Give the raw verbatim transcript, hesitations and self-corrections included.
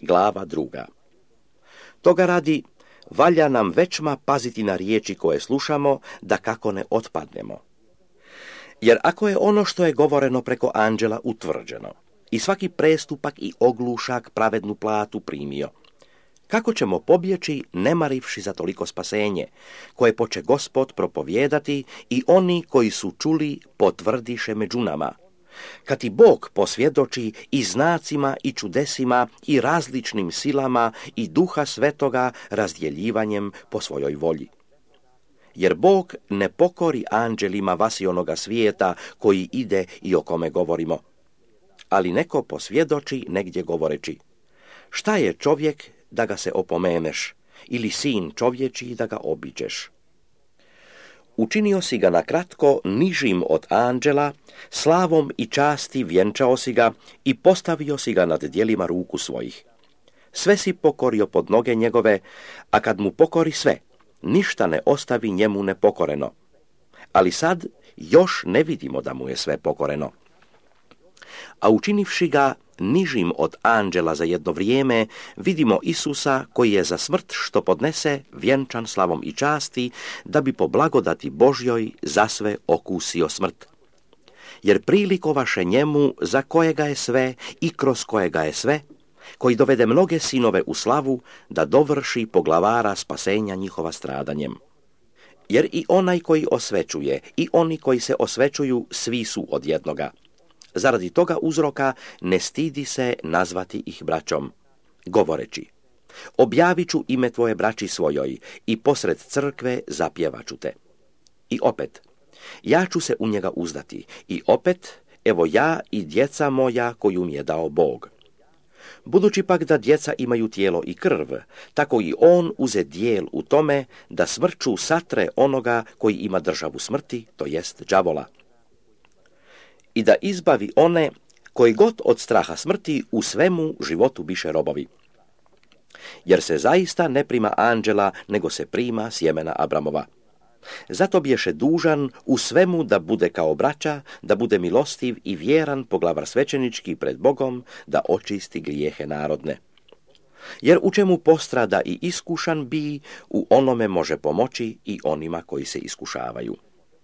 glava druga. Toga radi, valja nam većma paziti na riječi koje slušamo, da kako ne otpadnemo. Jer ako je ono što je govoreno preko anđela utvrđeno, i svaki prestupak i oglušak pravednu platu primio, kako ćemo pobjeći ne marivši za toliko spasenje, koje poče Gospod propovijedati i oni koji su čuli potvrdiše među nama. Kad ti Bog posvjedoči i znacima i čudesima i različnim silama i Duha Svetoga razdjeljivanjem po svojoj volji. Jer Bog ne pokori anđelima vasionoga svijeta koji ide i o kome govorimo. Ali neko posvjedoči negdje govoreći: šta je čovjek da ga se opomeneš, ili sin čovječiji da ga obiđeš? Učinio si ga na kratko nižim od anđela, slavom i časti vjenčao si ga i postavio si ga nad djelima ruku svojih. Sve si pokorio pod noge njegove, a kad mu pokori sve, ništa ne ostavi njemu nepokoreno. Ali sad još ne vidimo da mu je sve pokoreno. A učinivši ga nižim od anđela za jedno vrijeme, vidimo Isusa koji je za smrt što podnese vjenčan slavom i časti, da bi po blagodati Božjoj zasve okusio smrt. Jer prilikovaše njemu za kojega je sve i kroz kojega je sve, koji dovede mnoge sinove u slavu, da dovrši poglavara spasenja njihova stradanjem. Jer i onaj koji osvećuje i oni koji se osvećuju svi su od jednoga. Zaradi toga uzroka ne stidi se nazvati ih braćom, govoreći: objavit ću ime tvoje braći svojoj i posred crkve zapjevaću te. I opet, ja ću se u njega uzdati, i opet, evo ja i djeca moja koju mi je dao Bog. Budući pak da djeca imaju tijelo i krv, tako i on uze dijel u tome da smrću satre onoga koji ima državu smrti, to jest đavola. I da izbavi one koji god od straha smrti u svemu životu biše robovi. Jer se zaista ne prima anđela, nego se prima sjemena Abramova. Zato bješe dužan u svemu da bude kao braća, da bude milostiv i vjeran poglavar svećenički pred Bogom, da očisti grijehe narodne. Jer u čemu postrada i iskušan bi, u onome može pomoći i onima koji se iskušavaju.